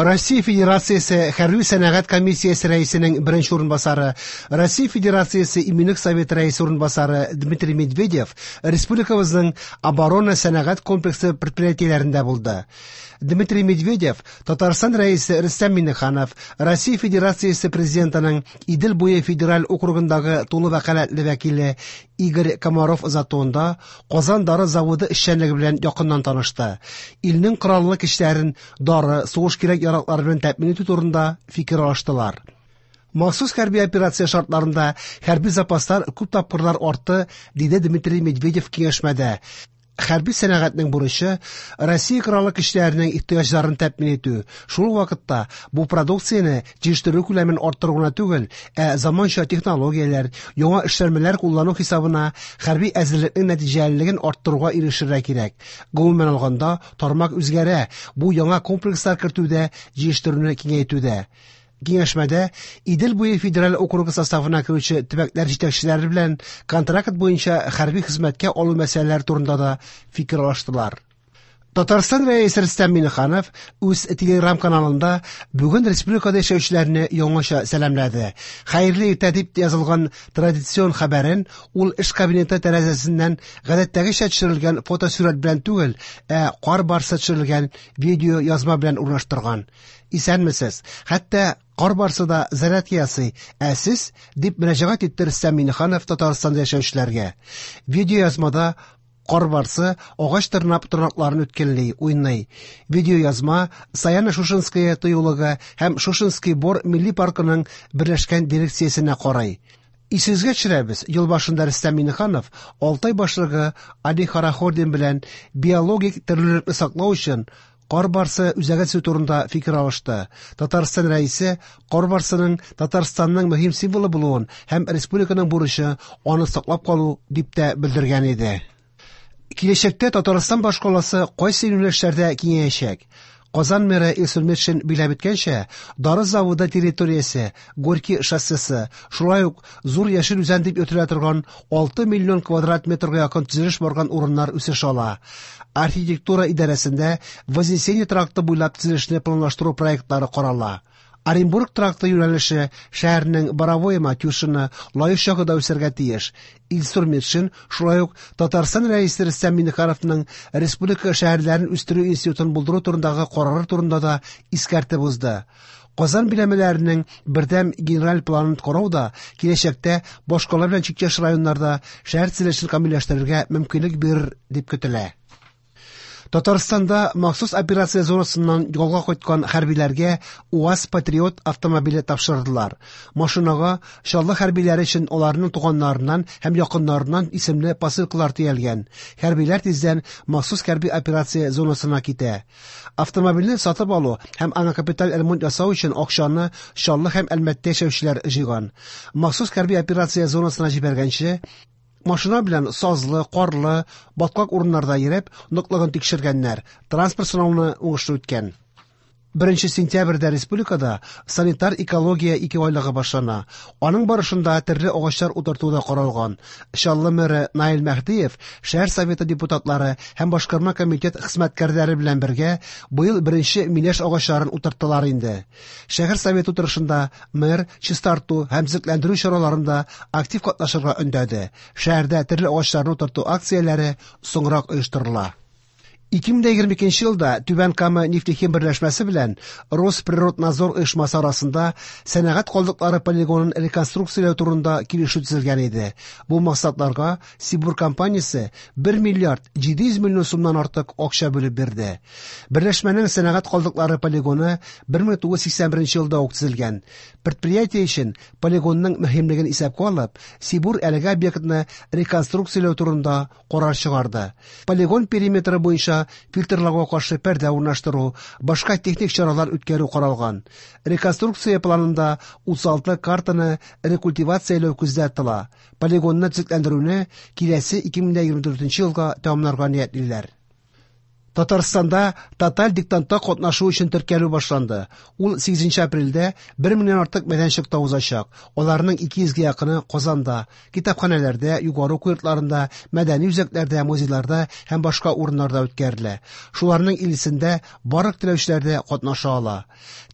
Россия Федерациясе Хәрби сәнәгать комиссиясе рәисенең беренче урынбасары, Россия Федерациясе Иминлек советы рәисе урынбасары Дмитрий Медведев республикабызның оборона сәнәгать комплексы предприятиеләрендә булды. Дмитрий Медведев Татарстан Рәисе Рөстәм Миңнеханов, Россия Федерациясе Президентының Идел буе федераль округындагы тулы вәкаләтле вәкиле Игорь Комаров озатуында Казан дары заводы эшчәнлеге белән якыннан танышты. Илнең кораллы көчләрен дары, сугыш кирәк-яраклары белән тәэмин итү турында фикер алыштылар. Махсус хәрби операция шартларында хәрби запаслар күп тапкырлар артты, диде Дмитрий Медведев киңәшмәдә. Хәрби сәнәгатьнең бурычы Россия Кораллы көчләренең ихтыяҗларын тәэмин итү. Шул ук вакытта бу продукцияне җитештерү күләмен арттыру гына түгел, ә заманча технологияләр, яңа эшләнмәләр куллану хисабына хәрби әзерлекнең нәтиҗәлелеген арттыруга ирешергә кирәк. Гомумән алганда, тармак үзгәрә, бу яңа комплекслар кертүдә, җитештерүне киңәйтүдә. Киңәшмәдә Идел буе федераль округы составына керүче төбәкләр җитәкчеләре белән контракт буенча хәрби хезмәткә алу мәсьәләләре турында да фикер алыштылар. Татарстан Рәисе Рөстәм Миңнеханов үз телеграм-каналында бүген республикада яшәүчеләрне яңача сәламләде. Хәерле иртә дип язылган традицион хәбәрен ул эш кабинеты тәрәзәсеннән гадәттәгечә төшерелгән фотосурәт белән түгел, ә кар барсы төшерелгән видеоязма белән урнаштырган. Исәнмесез. Хәтта кар барсы да зарядка ясый, ә сез, дип мөрәҗәгать итте Рөстәм Миңнеханов Татарстанда яшәүчеләргә. Видеоязмада кар барсы агач тырнап тырнакларын үткенли, уйный. Видеоязма Саяно-Шушенское тыюлыгы һәм Шушенский бор милли паркының берләшкән дирекциясенә карый. Исегезгә төшерәбез, ел башында Рөстәм Миңнеханов Алтай башлыгы Али Хорохордин белән биологик төрлелекне саклау өчен кар барсы үзәге төзү турында фикер алышты. Татарстан Рәисе кар барсының Татарстанның мөһим символы булуын һәм республиканың бурычы аны саклап калу дип тә белдергән иде. Киләчәктә Татарстан башкаласы кайсы юнәлешләрдә киңәячәк? Казан мэры Илсур Метшин биләп үткәнчә, дары заводы территориясе, Горький шоссесы, шулай ук Зур Яшел Үзән дип йөртелә торган 6 миллион квадрат метрга якын төзелеш барган урыннар үсеш ала. Архитектура идарәсендә Вознесение тракты буйлап төзелешне планлаштыру проектлары карала. Оренбург тракты юнәлеше шәһәрнең Боровое Матюшино, Лаеш ягы да үсәргә тиеш. Илсур Метшин шулай ук Татарстан Рәисе Рөстәм Миңнехановның республика шәһәрләрен үстерү институтын булдыру турындагы карары турында да искәртеп узды. Казан биләмәләренең бердәм генераль планын карау да киләчәктә башкала белән чиктәш районнарда шәһәр төзелешен камилләштерергә мөмкинлек бирер дип көтелә. Татарстанда махсус операция зонасыннан ялга кайткан хәрбиләргә УАЗ Патриот автомобиле тапшырдылар. Машинага Чаллы хәрбиләре өчен аларның туганнарыннан һәм якыннарыннан исемле посылкалар төялгән. Хәрбиләр тиздән махсус хәрби операция зонасына китә. Автомобильне сатып алу һәм аңа капиталь ремонт ясау өчен акчаны Чаллы һәм Әлмәттә яшәүчеләр җыйган. Махсус хәрби операция зонасына җибәргәнче, машина белән сазлы, карлы, баткак урыннарда йөреп, ныклыгын тикшергәннәр. Транспорт сынауны уңышлы үткән. 1 сентябрьдә республикада санитар экология икеайлыгы башлана. Аның барышында төрле агачлар утырту да каралган. Чаллы мэры Наил Мәһдиев шәһәр советы депутатлары һәм башкарма комитет хезмәткәрләре белән бергә быел беренче миләш агачларын утырттылар инде. Шәһәр советы утырышында мэр чистарту һәм төзекләндерү чараларында актив катнашырга өндәде. Шәһәрдә төрле агачларны утырту акцияләре соңрак оештырыла. 2022 елда Түбән Кама нефтехим берләшмәсе белән Росприроднадзор оешмасы арасында сәнәгать калдыклары полигонын реконструкцияләү турында килешү төзелгән иде. Бу максатларга Сибур компаниясе 1 миллиард 700 миллион сумнан артык акча бүлеп бирде. Берләшмәнең сәнәгать калдыклары полигоны 1981 елда ук төзелгән. Предприятие өчен полигонның мөһимлеген исәпкә алып, Сибур әлеге объектны реконструкцияләү турында карар чыгарды. Полигон периметры буенча фильтрларга каршы пәрдә урнаштыру, башка техник чаралар үткәрү каралган. Реконструкция планында 36 картаны рекультивацияләү күздә тотыла. Полигонны төзекләндерүне киләсе 2024 елга тәмамларга ниятлиләр. Татарстанда тоталь диктантта катнашу өчен теркәлү башланды. Ул 8 апрельдә 1 меңнән артык мәйданчыкта узачак. Аларның 200гә якыны Казанда, китапханәләрдә, югары уку йортларында, мәдәни үзәкләрдә, музейларда һәм башка урыннарда үткәрелә. Шуларның 50сендә барлык теләүчеләр дә катнаша ала.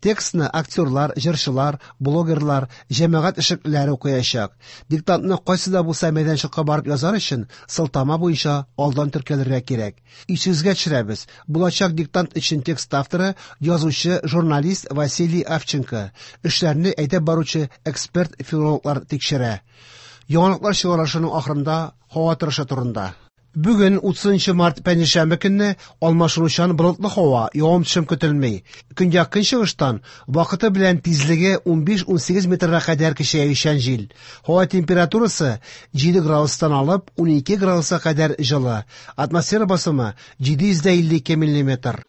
Текстны актерлар, җырчылар, блогерлар, җәмәгать эшлеклеләре укыячак. Диктантны кайсы да булса мәйданчыкка барып язар өчен сылтама буенча алдан теркәлергә кирәк. Исегезгә төшерәбез, булачак диктант өчен текст авторы язучы, журналист Василий Авченко. Эшләрне әйдәп баручы эксперт-филологлар тикшерә. Яңалыклар чыгарылышының ахырында һава торышы турында. Бүген 30 март пәнҗешәмбе көнне алмашынучан болытлы һава, явым-төшем көтелми. Көньяк көнчыгыштан вакыты белән тизлеге 15-18 метрга кадәр көчәючән җил. Һава температурасы 7 градустан алып 12 градуска кадәр җылы. Атмосфера басымы 752 миллиметр.